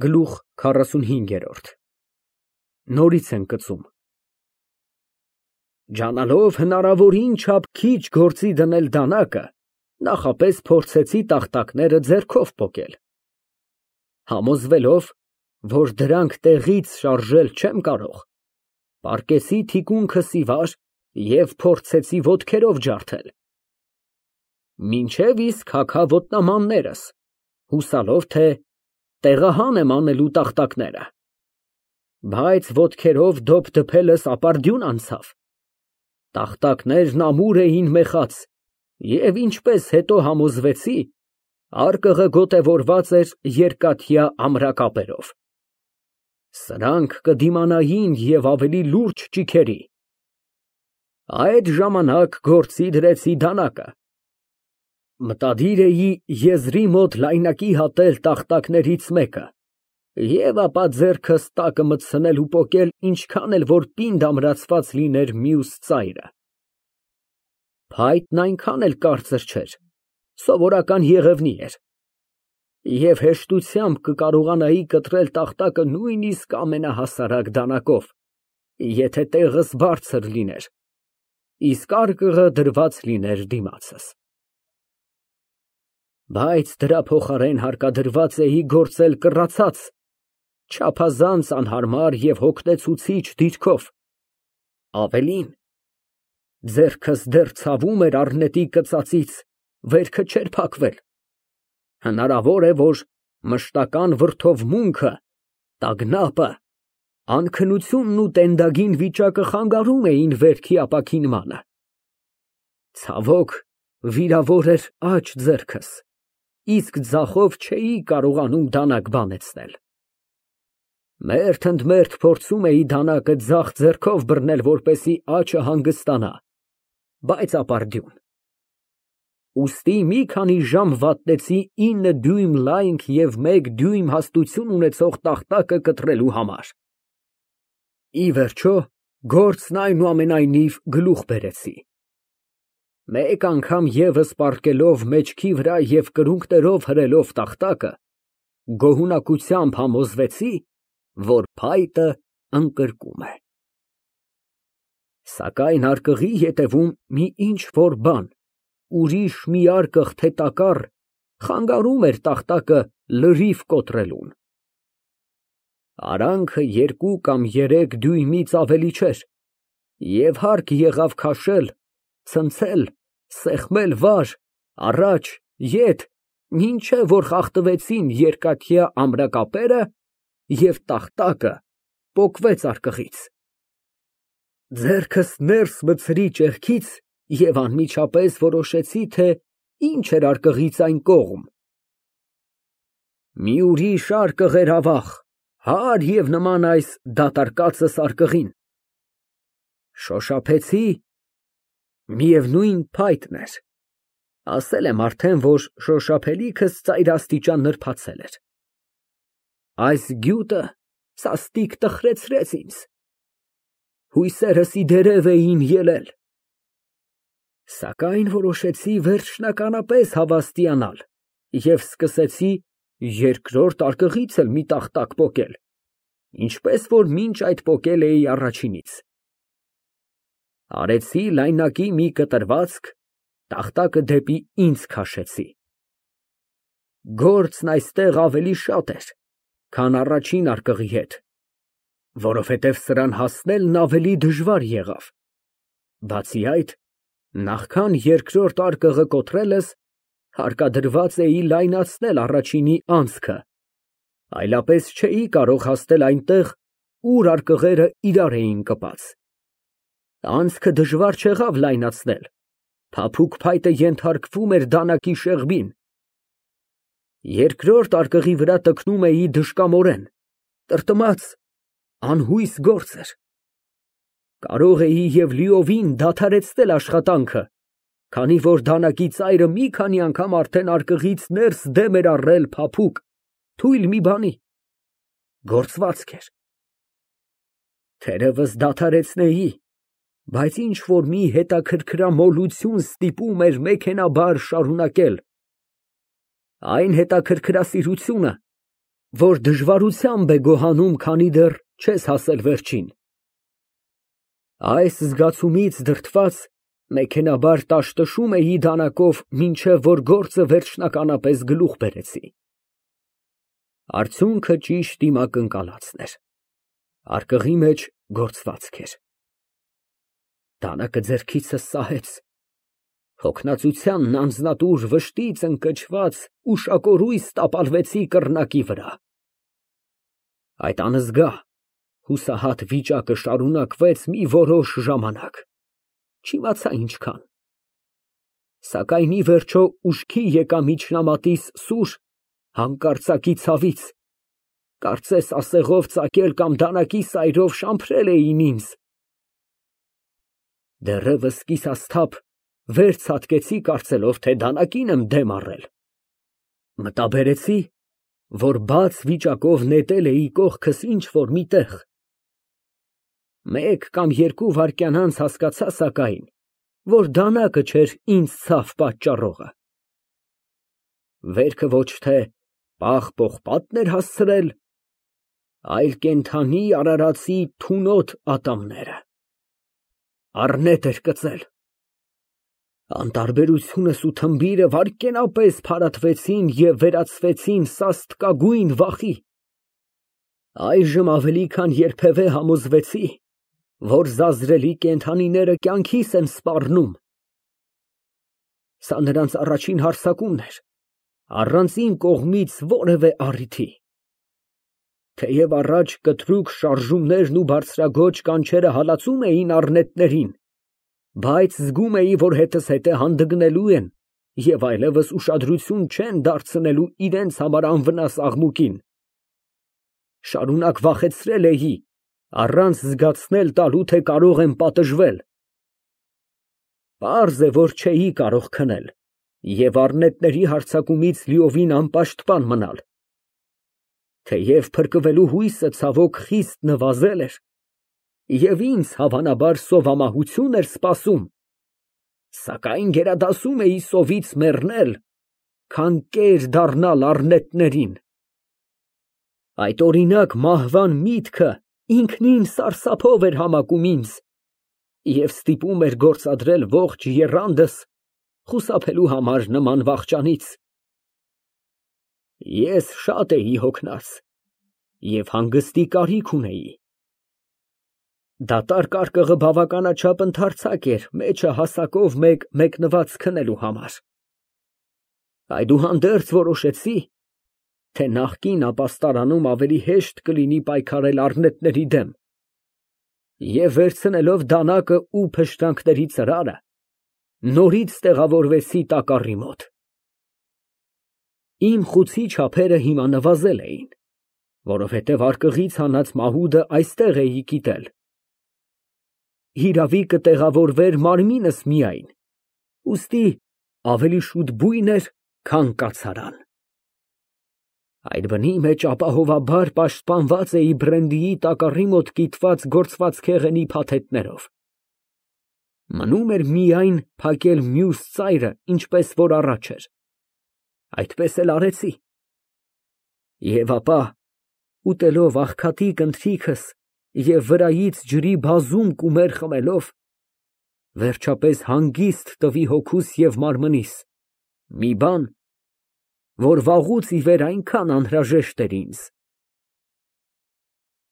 Գլուխ 45 Նորից են կծում։ Ջանալով հնարավորին չափ քիչ գործի դնել դանակը, նախապես փորձեցի տախտակները ձեռքով պոկել։ Համոզվելով, որ դրանք տեղից շարժել չեմ կարող, պառկեցի թիկունքս ի վար և փորձեցի ոտքերով ջարդել, մինչև իսկ հագա ոտնամաններս, հուսալով, թե տեղահան եմ անելու տախտակները, բայց ոտքերով դոփ դփելս ապարդյուն անցավ, տախտակներն ամուր էին մեխած և ինչպես հետո համոզվեցի, արկղը գոտևորված էր երկաթյա ամրակապերով, սրանք կդիմանային և ավելի լուրջ ճիգերի։ Այդ ժամանակ գործի դրեցի դանակը, մտադիր էի եզրի մոտ լայնակի հատել տախտակներից մեկը և ապա ձեռքս տակը մտցնել ու պոկել ինչքան էլ որ պինդ ամրացված լիներ մյուս ծայրը։ Փայտն այնքան էլ կարծր չէր, սովորական եղևնի էր, և հեշտությամբ կկարողանայի կտրել տախտակը նույնիսկ ամենահասարակ դանակով, եթե տեղս բարձր լիներ, իսկ արկղը դրված լիներ դիմացս։ Բայց դրա փոխարեն հարկադրված էի գործել կռացած, չափազանց անհարմար և հոգնեցուցիչ դիրքով, ավելին, ձեռքս դեռ ցավում էր առնետի կծածից, վերքը չէր փակվել, հնարավոր է, որ մշտական վրդովմունքը, տագնապը, անքնությունն ու տենդագին վիճակը խանգարում էին վերքի ապաքինմանը։ Ցավոք, վիրավոր էր աջ ձեռքս, իսկ ձախով չէի կարողանում դանակ բանեցնել։ Մերթ ընդ մերթ փորձում էի դանակը ձախ ձեռքով բռնել, որպեսզի աջը հանգստանա, բայց ապարդյուն։ Ուստի մի քանի ժամ վատնեցի 9 դյույմ լայնք և 1 դյույմ հաստություն ունեցող տախտակը կտրելու համար։ Ի վերջո, գործն այնուամենայնիվ գլուխ բերեցի։ Մեկ անգամ ևս պառկելով մեջքի վրա և կրունկներով հրելով տախտակը, գոհունակությամբ համոզվեցի, որ փայտը ընկրկում է։ Սակայն արկղի ետևում մի ինչ֊որ բան, ուրիշ մի արկղ, թե տակառ, խանգարում էր տախտակը լրիվ կոտրելուն։ Արանքը 2 կամ 3 դյույմից ավելի չէր, և հարկ եղավ քաշել, ցնցել, սեղմել վար, առաջ, ետ, մինչև որ խախտվեցին երկաթյա ամրակապերը և տախտակը պոկվեց արկղից։ Ձեռքս ներս մտցրի ճեղքից և անմիջապես որոշեցի, թե ինչ էր արկղից այն կողմ։ Մի ուրիշ արկղ էր ավաղ, հարև և նման այս դատարկածս արկղին։ Շոշափեցի, միևնույն փայտն էր, ասել եմ արդեն, որ շոշափելիքս ծայրաստիճան նրբացել էր։ Այս գյուտը սաստիկ տխրեցրեց ինձ, հույսերս ի դերև էին ելել, սակայն որոշեցի վերջնականապես հավաստիանալ և սկսեցի երկրորդ արկղից էլ մի տախտակ պոկել, ինչպես որ մինչ այդ պոկել էի առաջինից։ Արեցի լայնակի մի կտրվածք, տախտակը դեպի ինձ քաշեցի։ Գործն այստեղ ավելի շատ էր, քան առաջին արկղի հետ, որովհետև սրան հասնելն ավելի դժվար եղավ, բացի այդ, նախքան երկրորդ արկղը կոտրելս, հարկադրված էի լայնացնել առաջինի անցքը, այլապես չէի կարող հասնել այնտեղ, ուր արկղերը իրար էին կպած։ Անցքը դժվար չեղավ լայնացնել, փափուկ փայտը ենթարկվում էր դանակի շեղբին։ Երկրորդ արկղի վրա տքնում էի դժկամորեն, տրտմած, անհույս գործ էր։ Կարող էի և լիովին դադարեցնել աշխատանքը, քանի որ դանակի ծայրը մի քանի անգամ արդեն արկղից ներս դեմ էր առել փափուկ, թույլ մի բանի, գործվածք էր։ Թերևս դադարեցնեի, բայց ինչ֊որ մի հետաքրքրամոլություն ստիպում էր մեքենայաբար շարունակել։ Այն հետաքրքրասիրությունը, որ դժվարությամբ է գոհանում, քանի դեռ չես հասել վերջին։ Այս զգացումից դրդված մեքենաբար տաշտշում էի դանակով, մինչև որ գործը վերջնականապես գլուխ բերեցի։ Արդյունքը ճիշտ իմ ակնկալածն էր, արկղի մեջ գործվածք էր։ Դանակը ձեռքիցս սահեց, հոգնածությանն անձնատուր վշտից ընկճված ուշակորույս տապալվեցի կռնակի վրա։ Այդ անզգա, հուսահատ վիճակը շարունակվեց մի որոշ ժամանակ, չիմացա ինչքան, սակայն ի վերջո ուշքի եկա միջնամատիս սուր, հանկարծակի ցավից, կարծես ասեղով ծակել կամ դանակի սայրով շամփրել էին ինձ։ Դեռևս կիսասթափ վեր ցատկեցի, կարծելով, թե դանակին եմ դեմ առել, մտաբերեցի, որ բաց վիճակով նետել էի կողքս ինչ֊որ մի տեղ։ Մեկ կամ երկու վայրկյան անց հասկացա, սակայն, որ դանակը չէր ինձ ցավ պատճառողը։ Վերքը ոչ թե պաղ-պողպատն էր հասցրել, այլ կենդանի արարածի թունոտ ատամները։ Առնետ էր կծել։ Անտարբերությունս ու թմբիրը վայրկենապես փարատվեցին և վերածվեցին սաստկագույն վախի։ Այժմ ավելի քան երբևէ համոզվեցի, որ զազրելի կենդանիները կյանքիս են սպառնում։ Սա նրանց առաջին հարձակումն էր, առանց իմ կողմից որևէ առիթի։ Թեև առաջ կտրուկ շարժումներն ու բարձրաձոչ կանչերը հալածում էին առնետներին, բայց զգում էի, որ հետս հետը հանդգնելու են և այլևս ուշադրություն չեն դարձնելու իրենց համար անվնաս աղմուկին։ Շարունակ վախեցրել էի, առանց զգացնել տալու, թե կարող եմ պատժվել։ Պարզ է, որ չէի կարող քնել և առնետների հարձակումից լիովին անպաշտպան մնալ։ Թեև փրկվելու հույսը ցավոք խիստ նվազել էր, և ինձ հավանաբար սովամահություն էր սպասում, սակայն գերադասում էի սովից մեռնել, քան կեր դառնալ առնետներին։ Այդ օրինակ մահվան միտքը ինքնին սարսափով էր համակում ինձ և ստիպում էր գործադրել ողջ եռանդս խուսափելու համար նման վախճանից։ Ես շատ էի հոգնած և հանգստի կարիք ունեի։ Դատարկ արկղը բավականաչափ ընդարձակ էր մեջը հասակով մեկ մեկնված քնելու համար։ Այդուհանդերձ որոշեցի, թե նախկին ապաստարանում ավելի հեշտ կլինի պայքարել առնետների դեմ, և վերցնելով դանակը ու փշրանքների ծրարը, նորից տեղավորվեցի տակառի մոտ։ Իմ խուցի չափերը հիմա նվազել էին, որովհետև արկղից հանած մահուդը այստեղ էի կիտել։ Հիրավի կտեղավորվեր մարմինս միայն, ուստի ավելի շուտ բույն էր, քան կացարան։ Այդ բնի մեջ ապահովաբար պաշտպանված էի բրենդիի տակառի մոտ կիտված գործվածքեղենի փաթեթներով։ Մնում էր միայն փակել մյուս ծայրը, ինչպես որ առաջ էր։ Այդպես էլ արեցի։ Եվ ապա, ուտելով աղքատիկ ընթրիքս և վրայից ջրի բազում կումեր խմելով, վերջապես հանգիստ տվի հոգուս և մարմնիս մի բան, որ վաղուց ի վեր այնքան անհրաժեշտ էր ինձ։